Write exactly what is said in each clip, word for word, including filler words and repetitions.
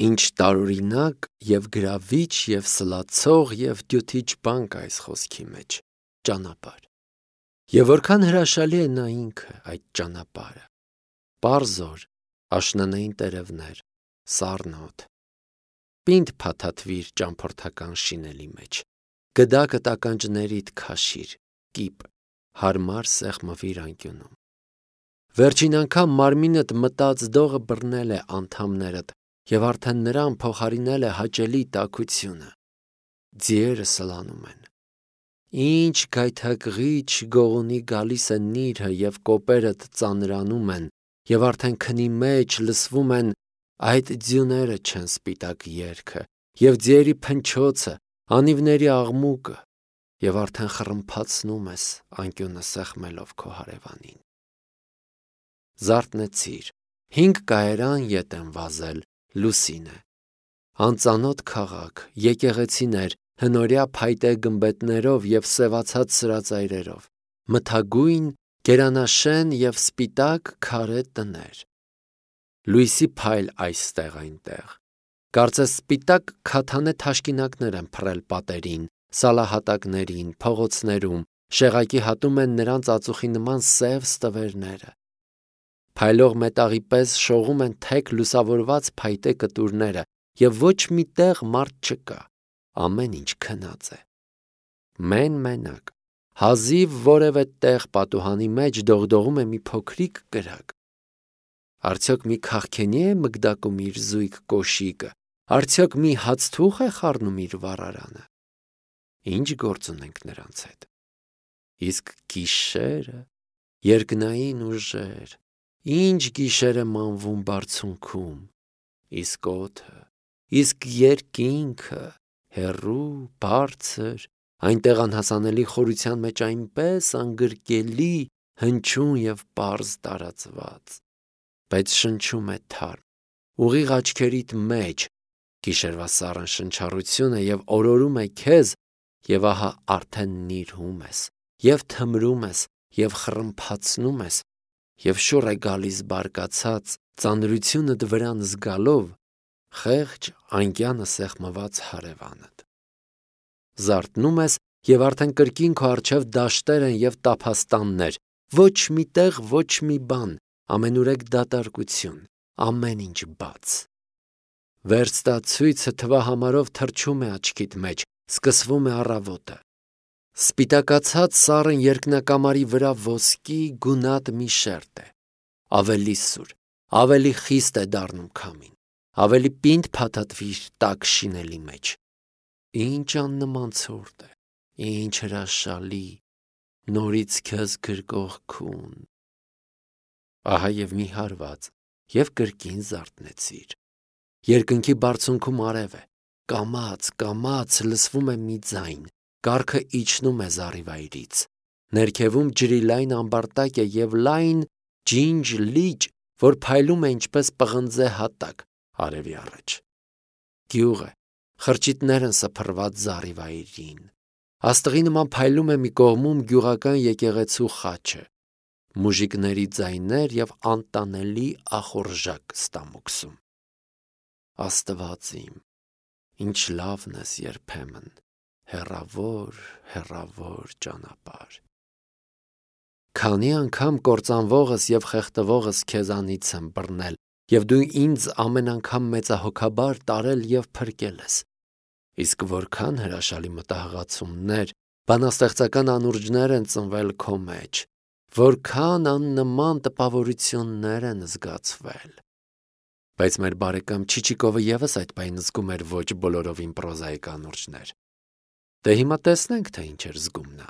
Ինչ տարօրինակ և գրավիչ և սլացող և դյութիչ բան կա այս խոսքի մեջ՝ ճանապարհ։ Եվ որքան հրաշալի է նա ինքը, այդ ճանապարհը։ Պարզ օր, աշնանային տերևներ, սառն օդ։ Պինդ փաթաթվիր ճամփորդական շինելի մեջ, գդակդ ականջներիդ քաշիր, կիպ, հարմար սեղմվիր անկյունում։ Վերջին անգամ մարմինդ մտած դողը բռնել է անդամներդ և արդեն նրան փոխարինել է հաճելի տաքությունը։ Ձիերը սլանում են։ Ինչ գայթակղիչ գողունի գալիս է նիրհը և կոպերդ ծանրանում են, և արդեն քնի մեջ լսվում են այդ ձյուները չեն սպիտակ երգը, և ձիերի փնչոցը, անիվների աղմուկը, և արդեն խռմփացնում ես անկյունը սեղմելով քո հարևանին։ Զարթնեցիր, հինգ կայարան ետ են վազել, լուսին է։ Անծանոթ քաղաք, եկեղեցիներ, հնորյա փայտե գմբեթներով և սևացած սրածայրերով, մթագույն, գերանաշեն և սպիտակ քարե տներ։ Լույսի փայլ այստեղ-այնտեղ։ Կարծես սպիտակ քաթանե թաշկինակներ են փռել պատերին, սալահատակներին, փողոցներում, շեղակի հատում են նրանց ածուխի նման սև ստվերները։ Փայլող մետաղի պես շողում են թեք լուսավորված փայտե կտուրները, և ոչ մի տեղ մարդ չկա, ամեն ինչ քնած է։ Մեն-մենակ, հազիվ որևէ տեղ պատուհանի մեջ դողդողում է մի փոքրիկ կրակ։ Արդյոք մի քաղքենի՞ է մգդակում իր զույգ կոշիկը, արդյոք մի հացթուխ է խառնում իր վառարանը։ Ինչ գործ ունենք նրանց հետ։ Իսկ գիշերը, երկնային ուժեր, ինչ գիշեր է մանվում բարձունքում, իսկ օդը, իսկ երկինքը, հեռու, բարձր, այնտեղ անհասանելի խորության մեջ այնպես անգրկելի, հնչյուն և պարզ տարածված, բայց շնչում է թարմ, ուղիղ աչքերիդ մեջ, գիշերվա սառն շնչառությունը և օրորում է քեզ, և ահա արդեն նիրհում ես, և թմրում ես, և խռմփացնում ես, և շուռ է գալիս բարկացած, ծանրությունդ վրան զգալով, խեղճ անկյանը սեղմված հարևանդ։ Զարթնում ես, և արդեն կրկին քո առջև դաշտեր են և տափաստաններ, ոչ մի տեղ ոչ մի բան, ամենուրեք դատարկություն, ամեն ինչ բաց։ Վերստացույցը թվահամարով թռչում է աչքիդ մեջ, սկսվում է առավոտը։ Սպիտակացած սառն երկնակամարի վրա ոսկի գունատ մի շերտ է։ Ավելի սուր, ավելի խիստ է դառնում քամին, ավելի պինդ փաթաթվիր տաք շինելի մեջ։ Ինչ աննման ցուրտ է, ինչ հրաշալի, նորից քեզ գրկող քուն։ Ահա և մի հարված, և կրկին զարթնեցիր։ Երկնքի բարձունքում արև է, կամաց, կամաց լսվում է մի ձայն, կառքը իջնում է զառիվայրից։ Ներքևում ջրի լայն ամբարտակ է և լայն ջինջ լիճ, որ փայլում է ինչպես պղնձե հատակ արևի առաջ։ Գյուղ է, խրճիթներ են սփռված զառիվայրին։ Աստղի նման փայլում է մի կողմում գյուղական եկեղեցու խաչը։ Մուժիկների ձայներ և անտանելի ախորժակ ստամոքսում։ Աստված իմ, ինչ լավն ես երբեմն, հեռավոր, հեռավոր ճանապարհ։ Քանի անգամ կործանվողս և խեղդվողս քեզանից եմ բռնել, և դու ինձ ամեն անգամ մեծահոգաբար տարել և փրկել ես։ Իսկ որքան հրաշալի մտահղացումներ, բանաստեղծական անուրջներ են ծնվել քո մեջ, որքան աննման տպավորություններ են զգացվել։ Բայց մեր բարեկամ Չիչիկովը ևս այդ պահին զգում էր ոչ բոլորովին պրոզայիկ անուրջներ։ Դե հիմա տեսնենք, թե ինչ էր զգում նա։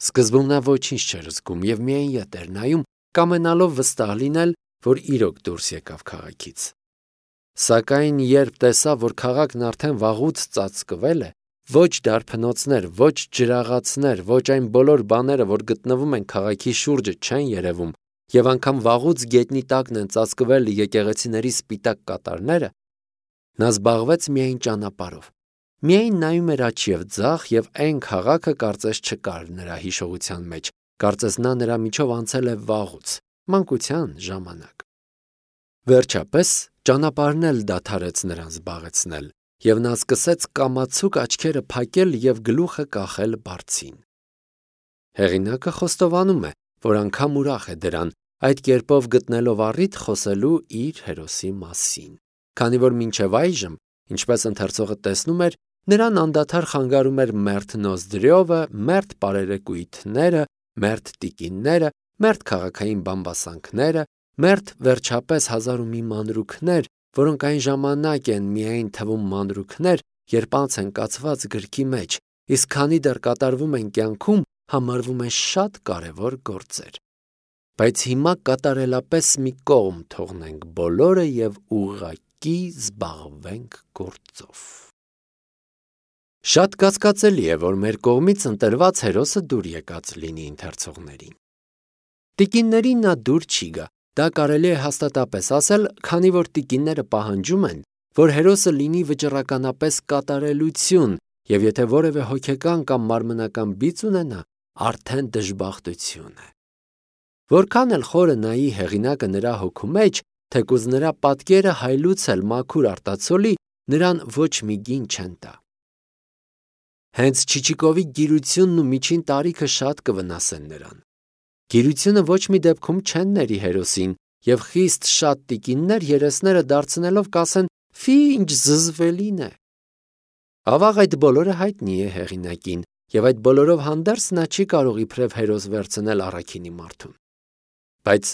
Սկզբում նա ոչինչ չէր զգում և միայն ետ էր նայում, կամենալով վստահ լինել, որ իրոք դուրս եկավ քաղաքից։ Սակայն երբ տեսավ, որ քաղաքն արդեն վաղուց ծածկվել է, ոչ դարբնոցներ, ոչ ջրաղացներ, ոչ այն բոլոր բաները, որ գտնվում են քաղաքի շուրջը, չեն երևում, և անգամ վաղուց գետնի տակն են ծածկվել եկեղեցիների սպիտակ կատարները, նա զբաղվեց միայն ճանապարհով։ Միայն նայում էր աջ և ձախ, և այն քաղաքը կարծես չկար նրա հիշողության մեջ, կարծես նա նրա միջով անցել է վաղուց, մանկության ժամանակ։ Վերջապես Ճանապարհն էլ դադարեց նրան զբաղեցնել, եւ նա սկսեց կամացուկ աչքերը փակել եւ գլուխը կախել բարձին։ Հեղինակը խոստովանում է, որ անգամ ուրախ է դրան, այդ կերպով գտնելով առիթ խոսելու իր հերոսի մասին, քանի որ մինչև այժմ, ինչպես ընթերցողը տեսնում էր, նրան անդադար խանգարում էր մերթ Նոզդրյովը, մերթ պարերեկույթները, մերթ տիկինները, մերթ քաղաքային բամբասանքները, մերթ վերջապես հազար ու մի մանրուքներ, որոնք այն ժամանակ են միայն թվում մանրուքներ, երբ անց են կացված գրքի մեջ, իսկ քանի դեռ կատարվում են կյանքում, համարվում են շատ կարևոր գործեր։ Բայց հիմա կատարելապես մի կողմ թողնենք բոլորը եւ ուղղակի զբաղվենք գործով։ Շատ կասկածելի է, որ մեր կողմից ընտրված հերոսը դուր եկած լինի ընթերցողներին։ Տիկիններին նա դուր չի գա, դա կարելի է հաստատապես ասել, քանի որ տիկինները պահանջում են, որ հերոսը լինի վճռականապես կատարելություն, եւ եթե որևէ հոգեկան կամ մարմնական բիծ ունենա, արդեն դժբախտություն է։ Որքան էլ խորը նայի հեղինակը նրա հոգու մեջ, թեկուզ նրա պատկերը հայլուցել մաքուր արտացոլի, նրան ոչ մի գին չեն տա։ Հենց Չիչիկովի գիրությունն ու միջին տարիքը շատ կվնասեն նրան։ Գիրությունը ոչ մի դեպքում չեն ների հերոսին, եւ խիստ շատ տիկիններ երեսները դարձնելով կասեն՝ «Ֆի, ինչ զզվելին է»։ Ավաղ այդ բոլորը հայտնի է հեղինակին, եւ այդ բոլորով հանդերձ նա չի կարող իբրև հերոս վերցնել առաքինի մարդուն։ Բայց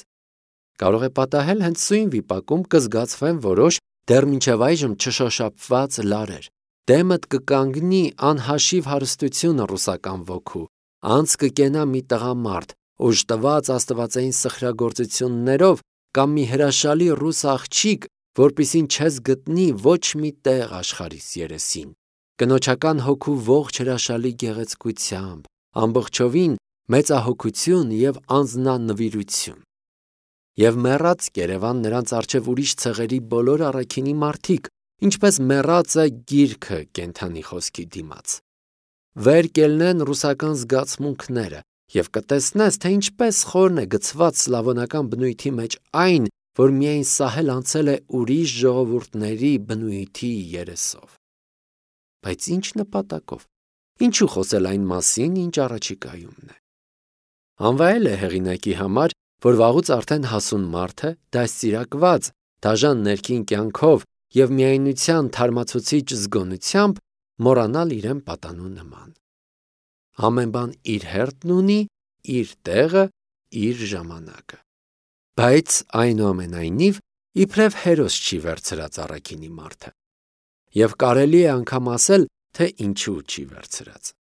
կարող է պատահել հենց սույն վիպակում կզգացվեն որոշ դեռ մինչև այժմ չշոշափված լարեր, դեմդ կկանգնի անհաշիվ հարստությունը ռուսական ոգու, անց կկենա մի տղամարդ, օժտված աստվածային սխրագործություններով կամ մի հրաշալի ռուս աղջիկ, որպիսին չես գտնի ոչ մի տեղ աշխարհիս երեսին, կնոջական հոգու ողջ հրաշալի գեղեցկությամբ, ամբողջովին մեծահոգություն եւ անձնանվիրություն։ Եվ մեռած Կերևան նրանց առջև ուրիշ ցեղերի բոլոր առաքինի մարդիկ, ինչպես մեռած է գիրքը կենթանի խոսքի դիմաց։ Վեր կելնեն ռուսական զգացմունքները եւ կտեսնես, թե ինչպես խորն է գցված սլավոնական բնույթի մեջ այն, որ միայն սահել անցել է ուրիշ ժողովուրդների բնույթի երեսով։ Բայց ինչ նպատակով։ Ինչու խոսել այն մասին, ինչ առաջիկայումն է։ Անվայել է հեղինակի համար, որ վաղուց արդեն հասուն մարդ է, դաստիարակված, դաժան ներքին կյանքով եւ միայնության թարմացուցիչ զգոնությամբ մոռանալ իրեն պատանու նման։ Ամեն բան իր հերթն ունի, իր տեղը, իր ժամանակը։ Բայց այնուամենայնիվ իբրև հերոս չի վերցրած առաքինի մարդը։ Եվ կարելի է անգամ ասել, թե ինչու չի վերցրած։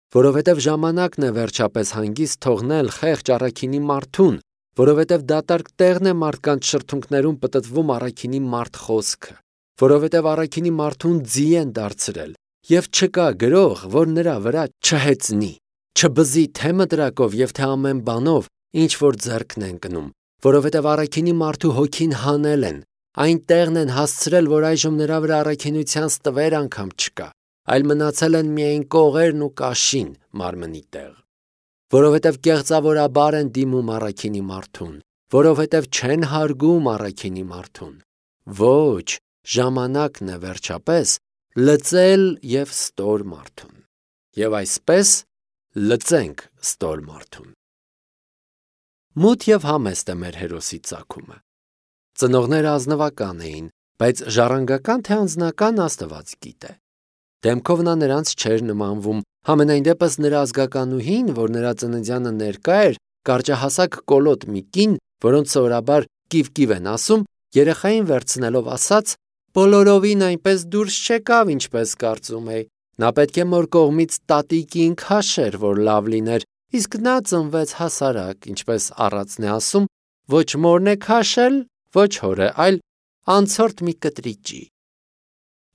Որովհետև ժամանակն է վերջապես հանգիստ թողնել խեղճ առաքինի մարդուն, որովհետև դատարկ տեղն է մարդկանց շրթունքներում պտտվում առաքինի մարդ խոսքը, որովհետև առաքինի մարդուն ձի են դարձրել, եւ չկա գրող, որ նրա վրա չհեծնի, չբզի թե մտրակով եւ թե ամեն բանով, ինչ որ ձեռքն են կնում, որովհետև առաքինի մարդու հոգին հանել են, այն տեղն են հասցրել, որ այժմ նրա վրա առաքինության ստվեր անգամ չկա, այլ մնացել են միայն կողերն ու կաշին մարմնի տեղ, որովհետև կեղծավորաբար են դիմում առաքինի մարդուն, որովհետև չեն հարգում առաքինի մարդուն։ Ոչ, ժամանակն է վերջապես լծել եւ ստոր մարդուն։ Եվ այսպես լծենք ստոր մարդուն։ Մութ եւ համեստ է մեր հերոսի ծագումը։ Ծնողները ազնվական էին, բայց ժառանգական թե անձնական Աստված գիտե։ Դեմքով նա նրանց չէր նմանվում, համենայն դեպս նրա ազգականուհին, որ նրա ծննդյանը ներկա էր, կարճահասակ կոլոտ մի կին, որոնց սովորաբար կիվ-կիվ են ասում, երեխային վերցնելով ասաց. «Բոլորովին այնպես դուրս չեկավ, ինչպես կարծում էի։ Նա պետք է մոր կողմից տատիկին քաշեր, որ լավ լիներ, իսկ նա ծնվեց հասարակ, ինչպես առածն է ասում, ոչ մորն է քաշել, ոչ հորը, այլ անցորդ մի կտրիճի»։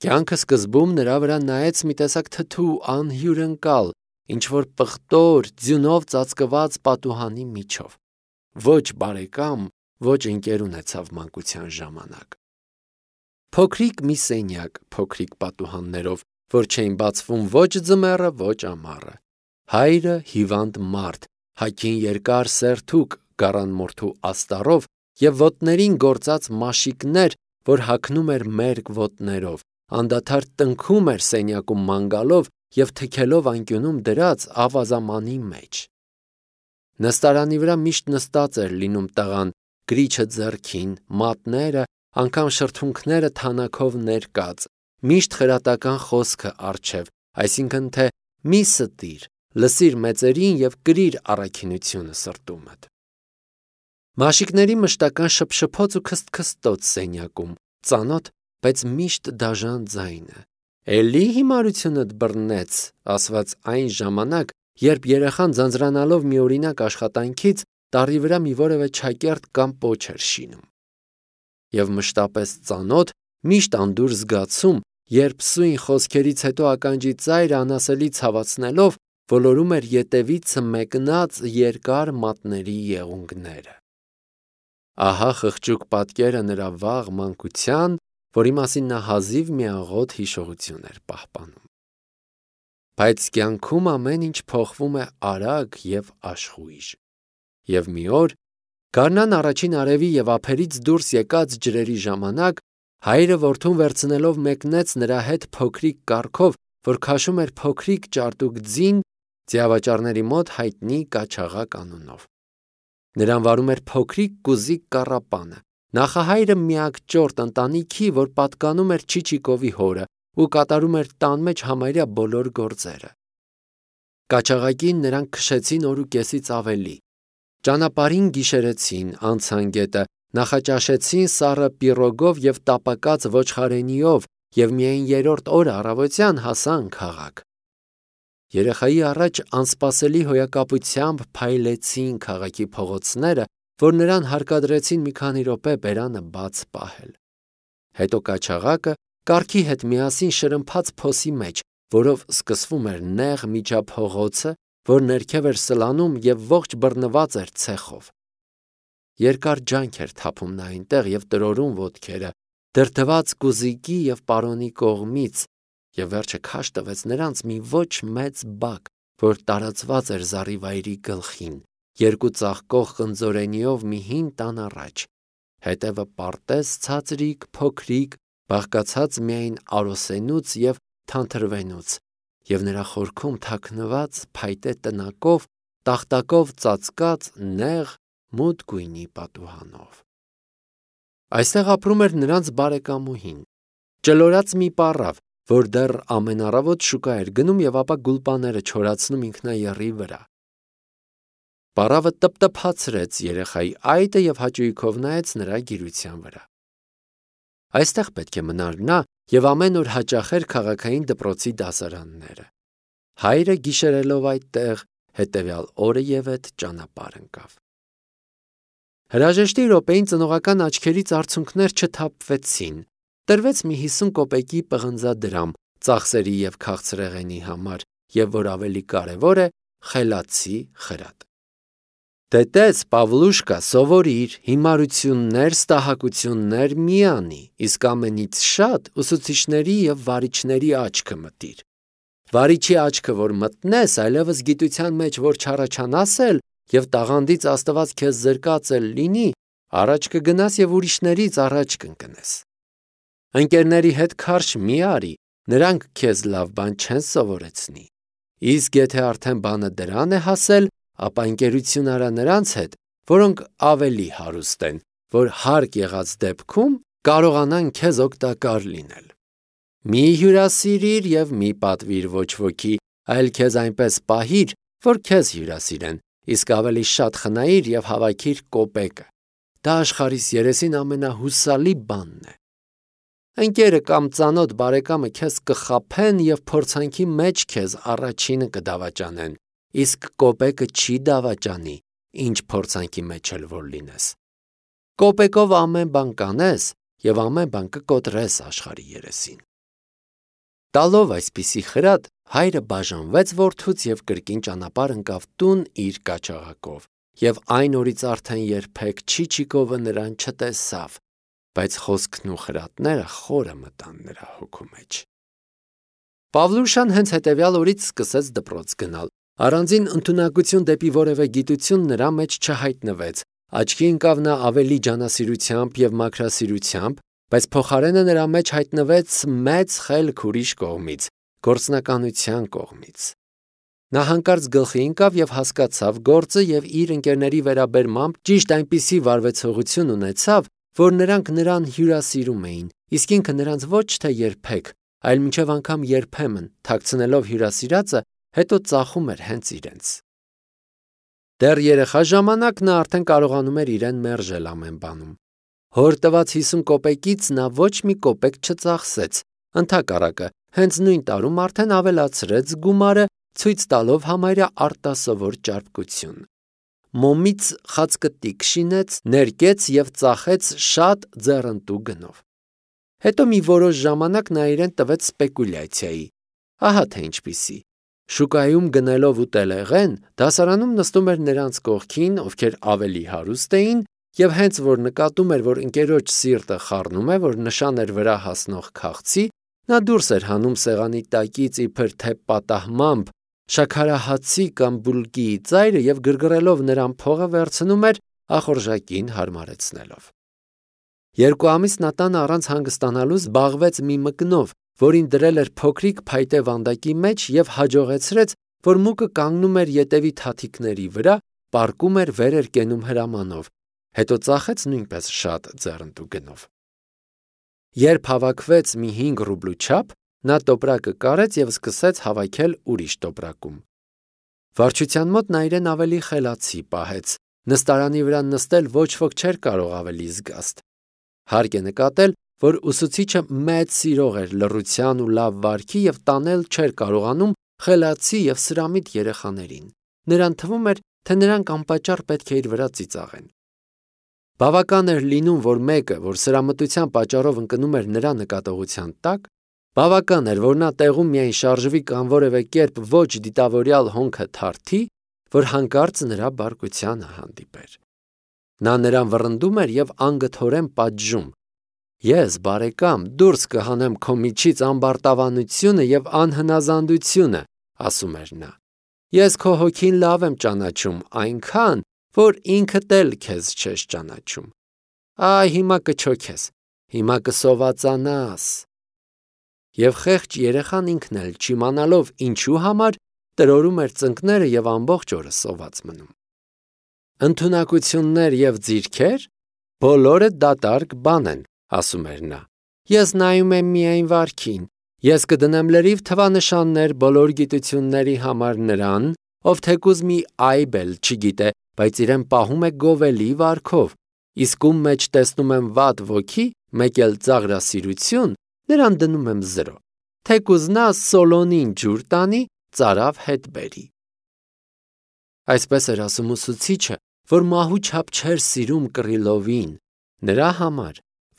Կյանքը սկզբում նրա վրա նայեց մի տեսակ թթու անհյուրընկալ, ինչ որ պղտոր, ձյունով ծածկված պատուհանի միջով։ Ոչ բարեկամ, ոչ ընկեր ունեցավ մանկության ժամանակ։ Փոքրիկ մի սենյակ, փոքրիկ պատուհաններով, որ չէին բացվում ոչ ձմեռը, ոչ ամառը։ Հայրը հիվանդ մարդ, հագին երկար սերթուկ գարանմորթու աստառով եւ ոտներին գործած մաշիկներ, որ հագնում էր մերկ ոտներով, անդադար տնքում էր սենյակում ման գալով և թքելով անկյունում դրած ավազամանի մեջ։ Նստարանի վրա միշտ նստած էր լինում տղան, գրիչը ձեռքին, մատները, անգամ շրթունքները թանաքով ներկած, միշտ խրատական խոսքը առջև, այսինքն թե մի ստիր, լսիր մեծերին և կրիր առաքինությունը սրտումդ։ Մաշիկների մշտական շփշփոց ու քստքստոց սենյակում, ծանոթ, բայց միշտ դաժան ձայնը։ Էլի հիմարությունդ բռնեց, ասված այն ժամանակ, երբ երեխան ձանձրանալով միօրինակ աշխատանքից տառի վրա մի որևէ չակերտ կամ պոչ էր շինում։ Եվ մշտապես ծանոթ, միշտ անդուր զգացում, երբ սույն խոսքերից հետո ականջի ծայրը անասելի ցավացնելով ոլորում էր ետևից մեկնած երկար մատների եղունգները։ Ահա խղճուկ պատկերը նրա վաղ մանկության, որի մասին նա հազիվ մի աղոտ հիշողություն էր պահպանում։ Բայց կյանքում ամեն ինչ փոխվում է արագ և աշխույժ։ Եվ մի օր, գարնան առաջին արևի և ափերից դուրս եկած ջրերի ժամանակ, հայրը որդուն վերցնելով մեկնեց նրա հետ փոքրիկ կառքով, որ քաշում էր փոքրիկ ճարտուկ ձին, ձիավաճառների մոտ հայտնի Կաչաղակ անունով։ Նրան վարում էր փոքրիկ կուզիկ կառապանը, նախահայրը միակ ճորտ ընտանիքի, որ պատկանում էր Չիչիկովի հորը ու կատարում էր տան մեջ համարյա բոլոր գործերը։ Կաչաղակին նրանք քշեցին օր ու կեսից ավելի։ Ճանապարհին գիշերեցին, անցան գետը, նախաճաշեցին սառը պիրոգով և տապակած ոչխարենիով և միայն երրորդ օրը առավոտյան հասան քաղաք։ Երեխայի առաջ անսպասելի հոյակապությամբ փայլեցին քաղաքի փողոցները, որ նրան հարկադրեցին մի քանի րոպե բերանը բաց պահել։ Հետո Կաչաղակը կառքի հետ միասին շրմփաց փոսի մեջ, որով սկսվում էր նեղ միջափողոցը, որ ներքև էր սլանում և ողջ բռնված էր ցեխով։ Երկար ջանք էր թափում նա այնտեղ և տրորում ոտքերը, դրդված կուզիկի և պարոնի կողմից, և վերջը քաշ տվեց նրանց մի ոչ մեծ բակ, որ տարածված էր զառիվայրի գլխին, երկու ծաղկող խնձորենիով մի հին տան առաջ, հետևը պարտեզ ցածրիկ, փոքրիկ, բաղկացած միայն արոսենուց և թանթրվենուց, և նրա խորքում թաքնված փայտե տնակով, տախտակով ծածկած նեղ մութ գույնի պատուհանով։ Այստեղ ապրում էր նրանց բարեկամուհին, ճլորած մի պառավ, որ դեռ ամեն առավոտ շուկա էր գնում և ապա գուլպաները չորացնում ինքնաեռի վրա։ Պառավը տպտփացրեց երեխայի այտը և հաճույքով նայեց նրա գիրության վրա։ Այստեղ պետք է մնար նա և ամեն օր հաճախեր քաղաքային դպրոցի դասարանները։ Հայրը գիշերելով այդտեղ, հետևյալ օրը ևեթ ճանապարհ ընկավ։ Հրաժեշտի րոպեին ծնողական աչքերից արցունքներ չթափվեցին, տրվեց մի հիսուն կոպեկի պղնձադրամ ծախսերի և քաղցրեղենի համար և, որ ավելի կարևոր է, խելացի խրատ։ Դե տես, Պավլուշկա, սովորիր, հիմարություններ, ստահակություններ մի անի, իսկ ամենից շատ ուսուցիչների և վարիչների աչքը մտիր։ Վարիչի աչքը որ մտնես, այլևս գիտության մեջ որ չառաջանաս էլ և տաղանդից Աստված քեզ զրկած էլ լինի, առաջ կգնաս և ուրիշներից առաջ կընկնես։ Ընկերների հետ քարշ մի արի, նրանք քեզ լավ բան չեն սովորեցնի։ Իսկ եթե արդեն բանը դրան է հասել, ապա ընկերություն արա նրանց հետ, որոնք ավելի հարուստ են, որ հարկ եղած դեպքում կարողանան քեզ օգտակար լինել։ Մի հյուրասիրիր և մի պատվիր ոչ ոքի, այլ քեզ այնպես պահիր, որ քեզ հյուրասիրեն, իսկ ավելի շատ խնայիր և հավաքիր կոպեկը։ Դա աշխարհիս երեսին ամենահուսալի բանն է։ Ընկերը կամ ծանոթ բարեկամը քեզ կխաբեն և փորձանքի մեջ քեզ առաջինը կդավաճանեն, իսկ կոպեկը չի դավաճանի, ինչ փորձանքի մեջ էլ որ լինես։ Կոպեկով ամեն բան կանես և ամեն բան կկոտրես աշխարհի երեսին։ Տալով այսպիսի խրատ, հայրը բաժանվեց որդուց և կրկին ճանապարհ ընկավ տուն իր Կաչաղակով, և այն օրից արդեն երբեք Չիչիկովը նրան չտեսավ, բայց խոսքն ու խրատները խորը մտան նրա հոգու մեջ։ Պավլուշան հենց հետևյալ օրից սկսեց դպրոց գնալ։ Առանձին ընդունակություն դեպի որևէ գիտություն նրա մեջ չհայտնվեց, աչքի ընկավ նա ավելի ջանասիրությամբ և մաքրասիրությամբ, Բայց փոխարենը նրա մեջ հայտնվեց մեծ խելք ուրիշ կողմից, գործնականության կողմից։ Նա հանկարծ գլխի ընկավ և հասկացավ գործը և իր ընկերների վերաբերմամբ ճիշտ այնպիսի վարվեցողություն ունեցավ, որ նրանք նրան հյուրասիրում էին, իսկ ինքը նրանց ոչ թե երբեք, այլ մինչև անգամ երբեմն թաքցնելով հյուրասիրածը, հետո ծախում էր հենց իրենց։ Դեռ երեխա ժամանակ նա արդեն կարողանում էր իրեն մերժել ամեն բանում։ Հոր տված հիսուն կոպեկից նա ոչ մի կոպեկ չծախսեց, ընդհակառակը, հենց նույն տարում արդեն ավելացրեց գումարը, ցույց տալով համարյա արտասովոր ճարպկություն։ Մոմից խացկտիկ շինեց, ներկեց և ծախեց շատ ձեռնտու գնով։ Հետո մի որոշ ժամանակ նա իրեն տվեց սպեկուլյացիայի։ Ահա թե ինչպիսի։ Շուկայում գնելով ուտելեղեն, դասարանում նստում էր նրանց կողքին, ովքեր ավելի հարուստ էին, և հենց որ նկատում էր, որ ընկերոջ սիրտը խառնում է, որ նշան էր վրա հասնող քաղցի, նա դուրս էր հանում սեղանի տակից իբր թե պատահմամբ շաքարահացի կամ բուլկիի ծայրը և գրգռելով նրան փողը վերցնում էր, ախորժակին հարմարեցնելով։ Երկու ամիս նա տանը առանց հանգստանալու զբաղվեց մի մկնով, որին դրել էր փոքրիկ փայտե վանդակի մեջ և հաջողեցրեց, որ մուկը կանգնում էր ետևի թաթիկների վրա, պառկում էր, վեր էր կենում հրամանով, հետո ծախեց նույնպես շատ ձեռնտու գնով։ Երբ հավաքվեց մի հինգ ռուբլու չափ, նա տոպրակը կարեց և սկսեց հավաքել ուրիշ տոպրակում։ Վարչության մոտ նա իրեն ավելի խելացի պահեց, նստարանի վրա նստել ոչ ոք չէր կարող ավելի զգաստ։ Հարկ է նկատել, որ ուսուցիչը մեծ սիրող էր լռության ու լավ վարքի և տանել չէր կարողանում խելացի և սրամիտ երեխաներին։ Նրան թվում էր, թե նրանք անպատճառ պետք է իր վրա ծիծաղեն։ Բավական էր լինում, որ մեկը, որ սրամտության պատճառով ընկնում էր նրա նկատողության տակ, բավական էր, որ նա տեղում միայն շարժվի կամ որևէ կերպ ոչ դիտավորյալ հոնքը թարթի, որ հանկարծ նրա բարկությանը հանդիպեր։ Նա նրան վռնդում էր և անգթորեն պատժում։ Ես, բարեկամ, դուրս կհանեմ քո միջից ամբարտավանությունը և անհնազանդությունը, ասում էր նա։ Ես քո հոգին լավ եմ ճանաչում, այնքան, որ ինքդ էլ քեզ չես ճանաչում։ Այ հիմա կչոքես, հիմա կսովածանաս։ Եվ խեղճ երեխան ինքն էլ, չիմանալով ինչու համար, տրորում էր ծնկները և ամբողջ օրը սոված մնում։ Ընդունակություններ և ձիրքեր, բոլորը դատարկ բան են, ասում էր նա։ Ես նայում եմ միայն վարքին, ես կդնեմ լրիվ թվանշաններ բոլոր գիտությունների համար նրան, ով թեկուզ մի այբ էլ չգիտե, բայց իրեն պահում է գովելի վարքով, իսկ ում մեջ տեսնում եմ վատ ոգի, մեկ էլ ծաղրասիրություն, նրան դնում եմ զրո, թեկուզ նա Սոլոնին ջուր տանի, ծարավ հետ բերի։ Այսպես էր ասում ուսուցիչը, որ մահու չափ չէր սիրում Կռիլովին, նրա համար,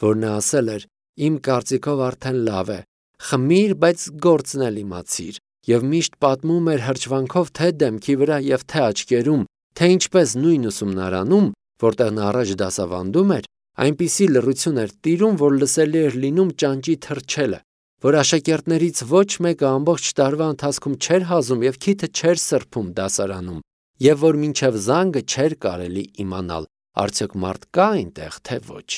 որ նա ասել էր. «Իմ կարծիքով արդեն լավ է, խմիր, բայց գործն էլ իմացիր», և միշտ պատմում էր հրճվանքով թե դեմքի վրա և թե աչքերում, թե ինչպես նույն ուսումնարանում, որտեղ նա առաջ դասավանդում էր, այնպիսի լռություն էր տիրում, որ լսելի էր լինում ճանճի թռչելը, որ աշակերտներից ոչ մեկը ամբողջ տարվա ընթացքում չէր հազում և քիթը չէր սրբում դասարանում, և որ մինչև զանգը չէր կարելի իմանալ, արդյոք մարդ կա այնտեղ, թե ոչ։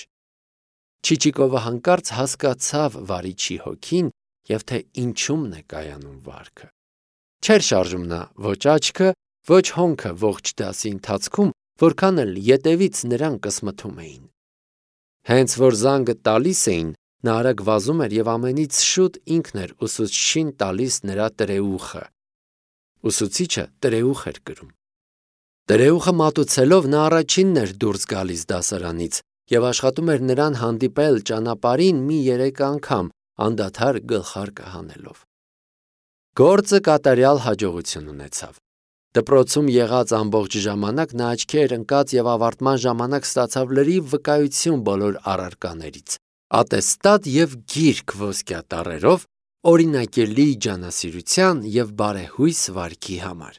Չիչիկովը հանկարծ հասկացավ վարիչի հոգին և թե ինչումն է կայանում վարքը։ Չէր շարժում նա ոչ աչքը, ոչ հոնքը ողջ դասի ընթացքում, որքան էլ ետևից նրան կսմթում էին։ Հենց որ զանգը տալիս էին, նա արագ վազում էր և ամենից շուտ ինքն էր ուսուցչին տալիս նրա տրեուխը։ Ուսուցիչը տրեուխ էր կրում։ Տրեուխը մատուցելով նա առաջինն էր դուրս գալիս դասարանից և աշխատում էր նրան հանդիպել ճանապարհին մի երեք անգամ, անդադար գլխարկը հանելով։ Գործը կատարյալ հաջողություն ունեցավ։ Դպրոցում եղած ամբողջ ժամանակ նա աչքի էր ընկած և ավարտման ժամանակ ստացավ լրիվ վկայություն բոլոր առարկաներից, ատեստատ և գիրք ոսկյա տառերով, օրինակելի ջանասիրության և բարեհույս վարքի համար։